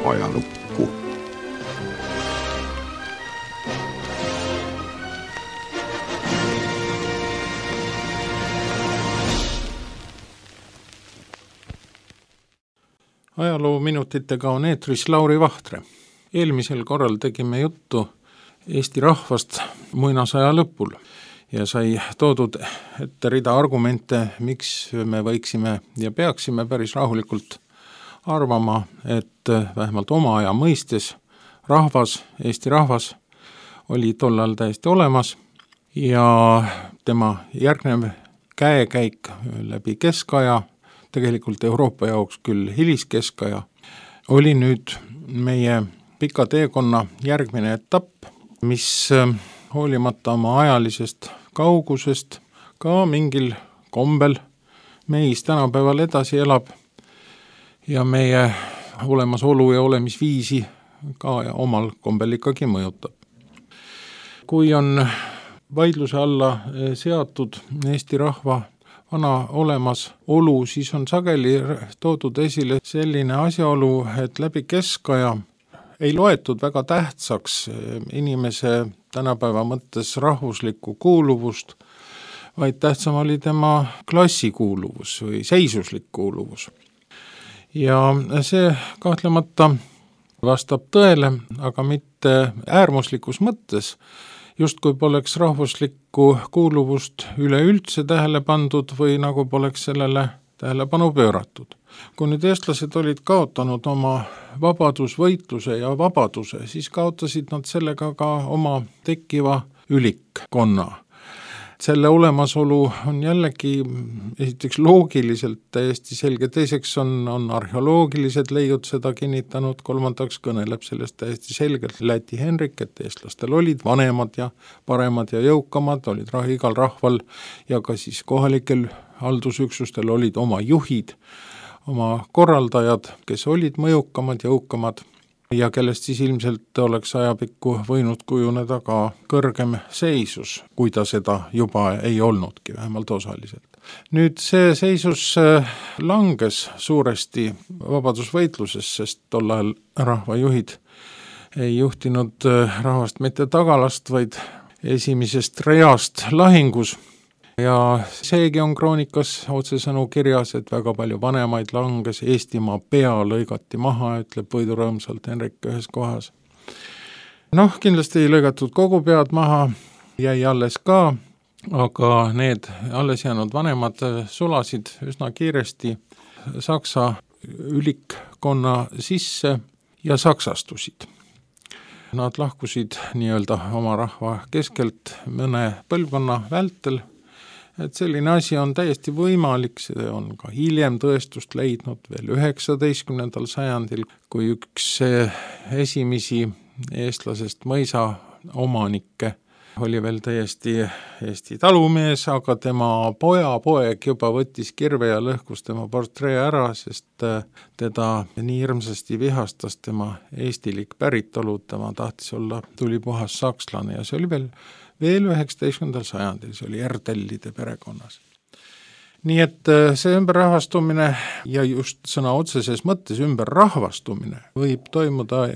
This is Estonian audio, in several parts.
ajalukku. Ajaloominutitega on eetris Lauri Vahtre. Eelmisel korral tegime juttu Eesti rahvast muinasaja lõpul ja sai toodud ette rida argumente, miks me võiksime ja peaksime päris rahulikult arvama, et vähemalt oma aja mõistes rahvas, Eesti rahvas oli tollal täiesti olemas ja tema järgnev käekäik läbi keskaja, tegelikult Euroopa jaoks küll hiliskeskaja, oli nüüd meie pika teekonna järgmine etapp, mis hoolimata oma ajalisest kaugusest ka mingil kombel meis tänapäeval edasi elab ja meie olemasolu ja olemisviisi ka omal kombel ikkagi mõjutab. Kui on vaidluse alla seatud Eesti rahva vana olemasolu, siis on sageli toodud esile selline asjaolu, et läbi keskaja ei loetud väga tähtsaks inimese tänapäeva mõttes rahvuslikku kuuluvust, vaid tähtsam oli tema klassikuuluvus või seisuslik kuuluvus. Ja see kahtlemata vastab tõele, aga mitte äärmuslikus mõttes, justkui poleks rahvuslikku kuuluvust üleüldse tähele pandud või nagu poleks sellele tähelepanu pööratud. Kui nüüd eestlased olid kaotanud oma vabadusvõitluse ja vabaduse, siis kaotasid nad sellega ka oma tekkiva ülikkonna. Selle olemasolu on jällegi esiteks loogiliselt täiesti selge, teiseks on arheoloogilised leiud seda kinnitanud, kolmandaks kõneleb sellest täiesti selgelt Läti Henrik, et eestlastel olid vanemad ja paremad ja jõukamad, olid igal rahval ja ka siis kohalikel haldusüksustel olid oma juhid, oma korraldajad, kes olid mõjukamad, jõukamad ja kellest siis ilmselt oleks ajapikku võinud kujuneda ka kõrgem seisus, kui ta seda juba ei olnudki, vähemalt osaliselt. Nüüd see seisus langes suuresti vabadusvõitluses, sest tol ajal rahvajuhid ei juhtinud rahvast mitte tagalast, vaid esimesest reast lahingus. Ja seegi on kroonikas otsesõnu kirjas, et väga palju vanemaid langes, Eestimaa pea lõigati maha, ütleb võidurõõmsalt Henrik ühes kohas. Kindlasti ei lõigatud kogu pead maha, jäi alles ka, aga need alles jäänud vanemad sulasid üsna kiiresti Saksa ülikkonna sisse ja saksastusid. Nad lahkusid nii-öelda oma rahva keskelt mõne põlvkonna vältel. Et selline asi on täiesti võimalik, see on ka hiljem tõestust leidnud veel 19. sajandil, kui üks esimesi eestlasest mõisa omanikke oli veel täiesti Eesti talumees, aga tema pojapoeg juba võttis kirve ja lõhkus tema portree ära, sest teda nii hirmsasti vihastas tema eestilik päritolu, tema tahtis olla tulipuhas sakslane ja see oli veel 19. sajandil, see oli Erdellide perekonnas. Nii et see ümberrahvastumine ja just sõna otseses mõttes ümberrahvastumine võib toimuda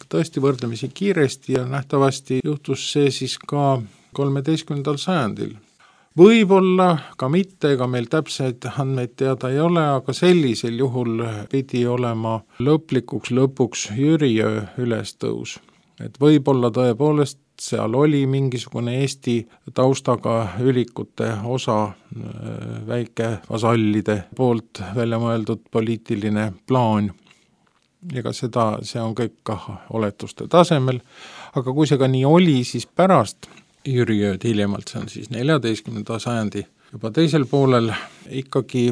tõesti võrdlemisi kiiresti ja nähtavasti juhtus see siis ka 13. sajandil. Võib-olla ka mitte, ega meil täpseid andmeid teada ei ole, aga sellisel juhul pidi olema lõpuks Jüriöö ülestõus. Et võib-olla tõepoolest seal oli mingisugune Eesti taustaga ülikute osa, väike vasallide poolt välja mõeldud poliitiline plaan. Ega see on kõik ka oletuste tasemel, aga kui see ka nii oli, siis pärast Jüriööd hiljemalt, see on siis 14. sajandi juba teisel poolel, ikkagi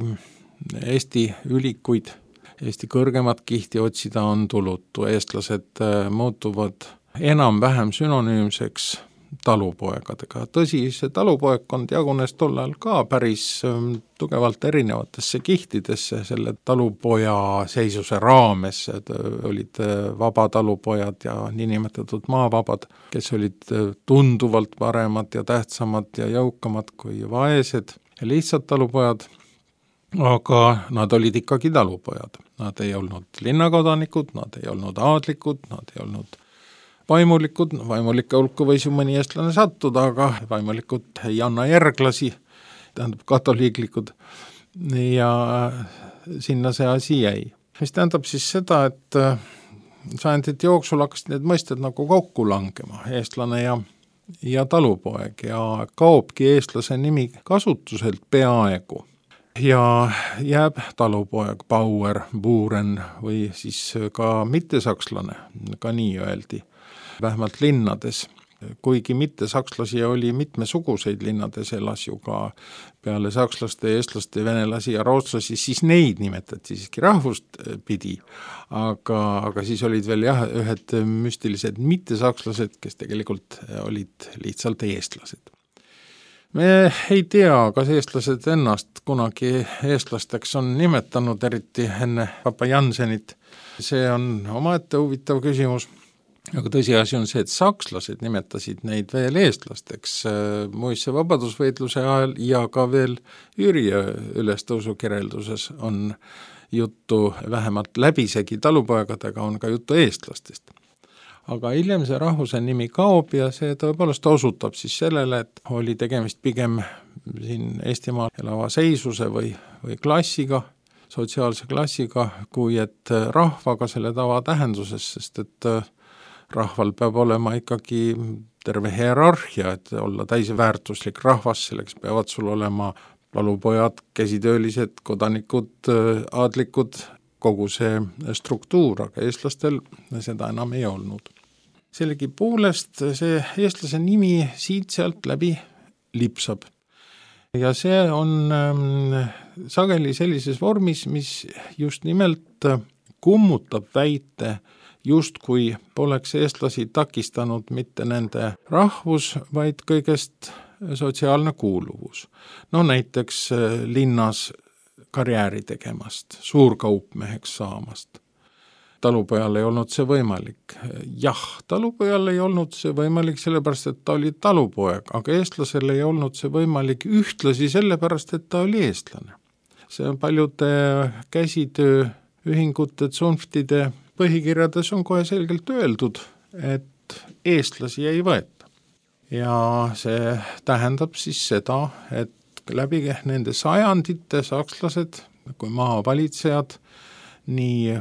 Eesti ülikuid, Eesti kõrgemat kihti otsida on tulutu. Eestlased muutuvad enam-vähem sünonüümseks talupoegadega. Tõsi, see talupoegkond jagunes tollal ka päris tugevalt erinevatesse kihtidesse selle talupoja seisuse raames. Olid vabatalupojad ja niinimetatud maavabad, kes olid tunduvalt paremad ja tähtsamad ja jõukamad kui vaesed ja lihtsad talupojad. aga nad olid ikkagi talupojad. Nad ei olnud linnakodanikud, nad ei olnud aadlikud, nad ei olnud vaimulikud, vaimulike hulka võis ju mõni eestlane sattuda, aga vaimulikud ei anna järglasi, tähendab katoliiklikud, ja sinna see asi jäi. Mis tähendab siis seda, et sajandite jooksul hakkasid need mõisted nagu kokku langema, eestlane ja talupoeg, ja kaobki eestlase nimi kasutuselt peaaegu. Ja jääb talupoeg, Bauer, Buren või siis ka mittesakslane, ka nii öeldi, vähemalt linnades. Kuigi mittesakslasi oli mitmesuguseid, linnades elas ju ka peale sakslaste, eestlaste, venelasi ja rootslasi, siis neid nimetati siiski rahvust pidi, aga siis olid veel ühed müstilised mittesakslased, kes tegelikult olid lihtsalt eestlased. Me ei tea, kas eestlased ennast kunagi eestlasteks on nimetanud, eriti enne Papa Jansenit. See on omaette huvitav küsimus, aga tõsiasi on see, et sakslased nimetasid neid veel eestlasteks muisse vabadusvõitluse ajal ja ka veel Jüri ülestõusu kirjelduses on juttu, vähemalt läbisegi talupoegadega on ka juttu eestlastest. Aga hiljem see rahvuse nimi kaob ja see tõepoolest osutab siis sellele, et oli tegemist pigem siin Eestimaal elava seisuse või klassiga, sotsiaalse klassiga, kui et rahvaga selle tavatähenduses, sest et rahval peab olema ikkagi terve hierarhia, et olla täisväärtuslik rahvas, selleks peavad sul olema talupojad, käsitöölised, kodanikud, aadlikud, kogu see struktuur, aga eestlastel seda enam ei olnud. Sellegi poolest see eestlase nimi siit-sealt läbi lipsab. Ja see on sageli sellises vormis, mis just nimelt kummutab väite, justkui poleks eestlasi takistanud mitte nende rahvus, vaid kõigest sotsiaalne kuuluvus. No näiteks linnas karjääri tegemast, suurkaupmeheks saamast. Talupojal ei olnud see võimalik. Jah, talupojal ei olnud see võimalik sellepärast, et ta oli talupoeg, aga eestlasel ei olnud see võimalik ühtlasi sellepärast, et ta oli eestlane. See on paljude käsitööühingute, tsunftide põhikirjades on kohe selgelt öeldud, et eestlasi ei võeta. Ja see tähendab siis seda, et läbi nende sajandite sakslased kui maavalitsejad, nii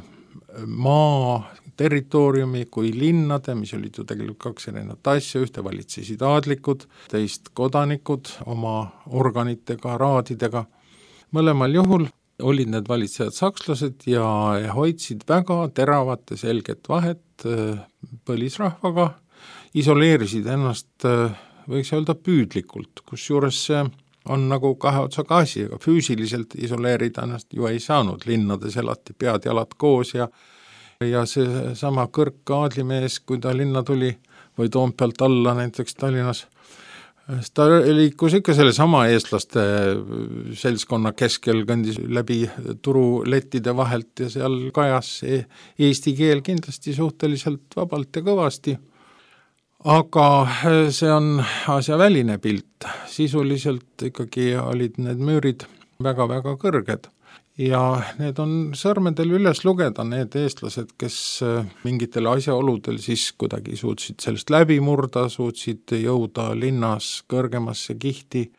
maa territooriumi kui linnade, mis olid ju tegelikult kaks erinevat asja, ühte valitsesid aadlikud, teist kodanikud oma organitega, raadidega. Mõlemal juhul olid need valitsejad sakslased ja hoidsid väga teravat ja selget vahet põlisrahvaga, isoleerisid ennast, võiks öelda, püüdlikult, kusjuures see on nagu kahe otsaga asi, aga füüsiliselt isoleerida ennast ju ei saanud, linnades elati pead jalad koos ja see sama kõrk aadlimees, kui ta linna tuli või Toompealt alla näiteks Tallinnas, ta liikus ikka selle sama eestlaste seltskonna keskel, kõndis läbi turulettide vahelt ja seal kajas eesti keel kindlasti suhteliselt vabalt ja kõvasti. Aga see on asja väline pilt. Sisuliselt ikkagi olid need müürid väga-väga kõrged ja need on sõrmedel üles lugeda need eestlased, kes mingitel asjaoludel siis kuidagi suutsid sellest läbi murda, suutsid jõuda linnas kõrgemasse kihti.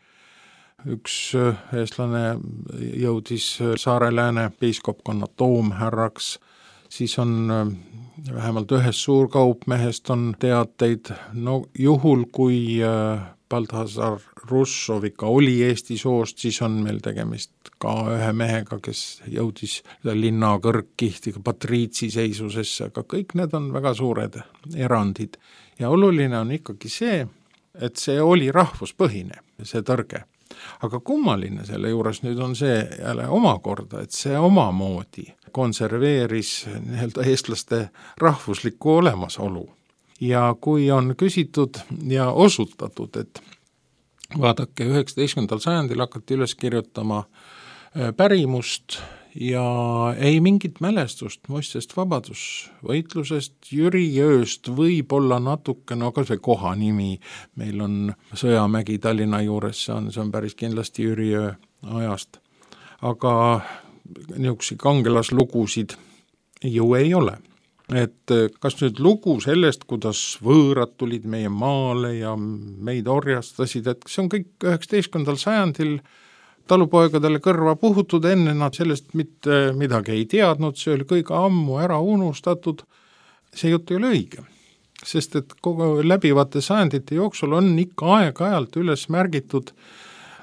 Üks eestlane jõudis Saare-Lääne piiskopkonna toomhärraks, siis on vähemalt ühest suurkaupmehest on teateid, no juhul kui Balthasar Russov ikka oli Eesti soost, siis on meil tegemist ka ühe mehega, kes jõudis linna kõrgkihtiga patriitsi seisusesse, aga kõik need on väga suured erandid. Ja oluline on ikkagi see, et see oli rahvuspõhine, see tõrge. Aga kummaline selle juures nüüd on see jälle omakorda, et see omamoodi konserveeris eestlaste rahvuslikku olemasolu. Ja kui on küsitud ja osutatud, et vaadake, 19. sajandil hakati üles kirjutama pärimust ja ei mingit mälestust muistest vabadusvõitlusest, Jüri Jõest võib-olla natuke, no kas või koha nimi, meil on Sõjamägi Tallinna juures, see on päris kindlasti Jüri Jõe ajast. aga niisuguseid kangelaslugusid ju ei ole. Et kas nüüd lugu sellest, kuidas võõrad tulid meie maale ja meid orjastasid, et see on kõik 19. sajandil talupoegadele kõrva puhutud, enne nad sellest mitte midagi ei teadnud, see oli kõik ammu ära unustatud. See jutt ei ole õige, sest et kogu läbivate sajandite jooksul on ikka aeg-ajalt üles märgitud,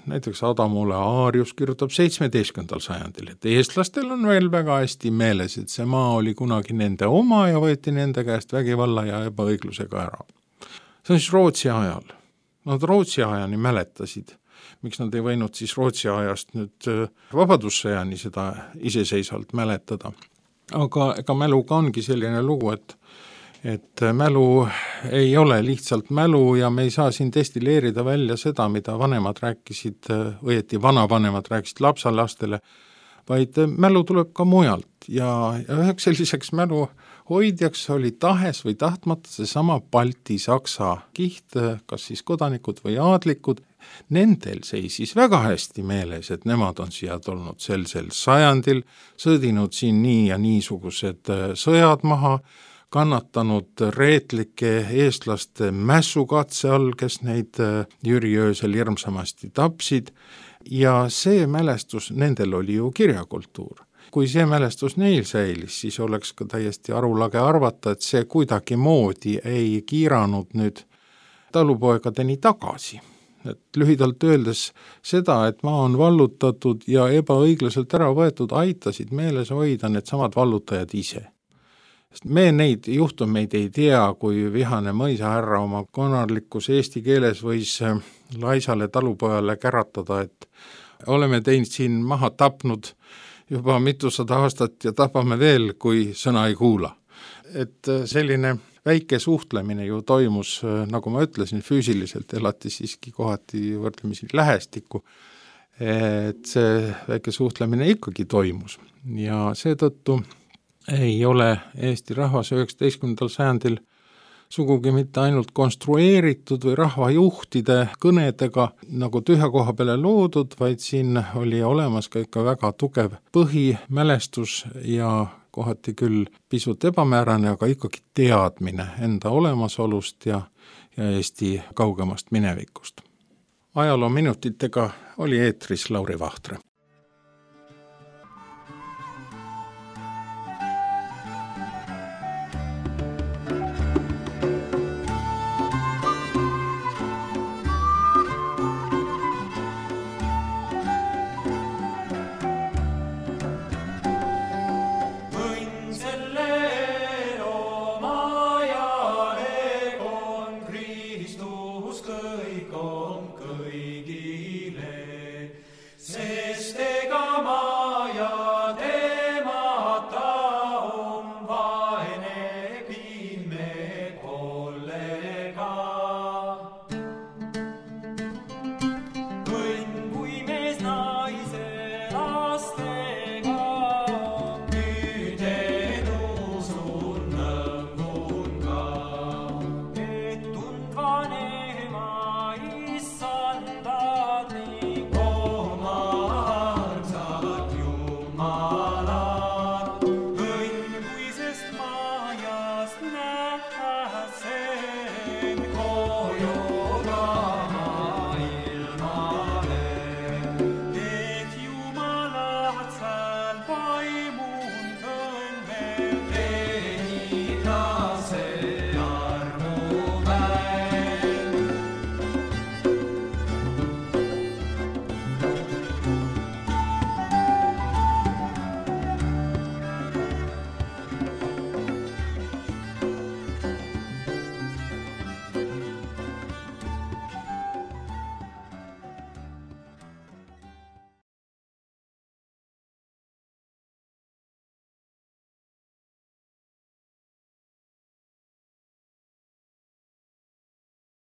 näiteks Adamule Aarius kirjutab 17. sajandil, et eestlastel on veel väga hästi meeles, et see maa oli kunagi nende oma ja võeti nende käest vägivalla ja ebaõiglusega ära. See on siis Rootsi ajal. Nad Rootsi ajani mäletasid. Miks nad ei võinud siis Rootsi ajast nüüd vabadussõjani seda iseseisvalt mäletada. Aga ega mäluga ongi selline lugu, et mälu ei ole lihtsalt mälu ja me ei saa siin destilleerida välja seda, mida vanemad rääkisid, õieti vanavanemad rääkisid lapsalastele, vaid mälu tuleb ka mujalt ja üheks selliseks mälu hoidjaks oli tahes või tahtmata seesama Balti-Saksa kiht, kas siis kodanikud või aadlikud. Nendel seisis väga hästi meeles, et nemad on siia tulnud sel sajandil, sõdinud siin nii ja niisugused sõjad maha, kannatanud reetlike eestlaste mässukatse all, kes neid Jüri öösel hirmsamasti tapsid ja see mälestus, nendel oli ju kirjakultuur. Kui see mälestus neil säilis, siis oleks ka täiesti arulage arvata, et see kuidagi moodi ei kiiranud nüüd talupoegadeni tagasi. Et lühidalt öeldes seda, et maa on vallutatud ja ebaõiglaselt ära võetud, aitasid meeles hoida need samad vallutajad ise. Me neid juhtumeid ei tea, kui vihane mõisahärra oma konarlikus eesti keeles võis laisale talupojale käratada, et oleme teinud siin maha tapnud juba mitusada aastat ja tapame veel, kui sõna ei kuula. Et selline väike suhtlemine ju toimus, nagu ma ütlesin, füüsiliselt elati siiski kohati võrdlemisi lähestikku, et see väike suhtlemine ikkagi toimus ja seetõttu ei ole Eesti rahvas 19. sajandil sugugi mitte ainult konstrueeritud või rahvajuhtide kõnedega nagu tühja koha peale loodud, vaid siin oli olemas ka ikka väga tugev põhimälestus ja kohati küll pisut ebamäärane, aga ikkagi teadmine enda olemasolust ja Eesti kaugemast minevikust. Ajaloominutitega oli eetris Lauri Vahtre.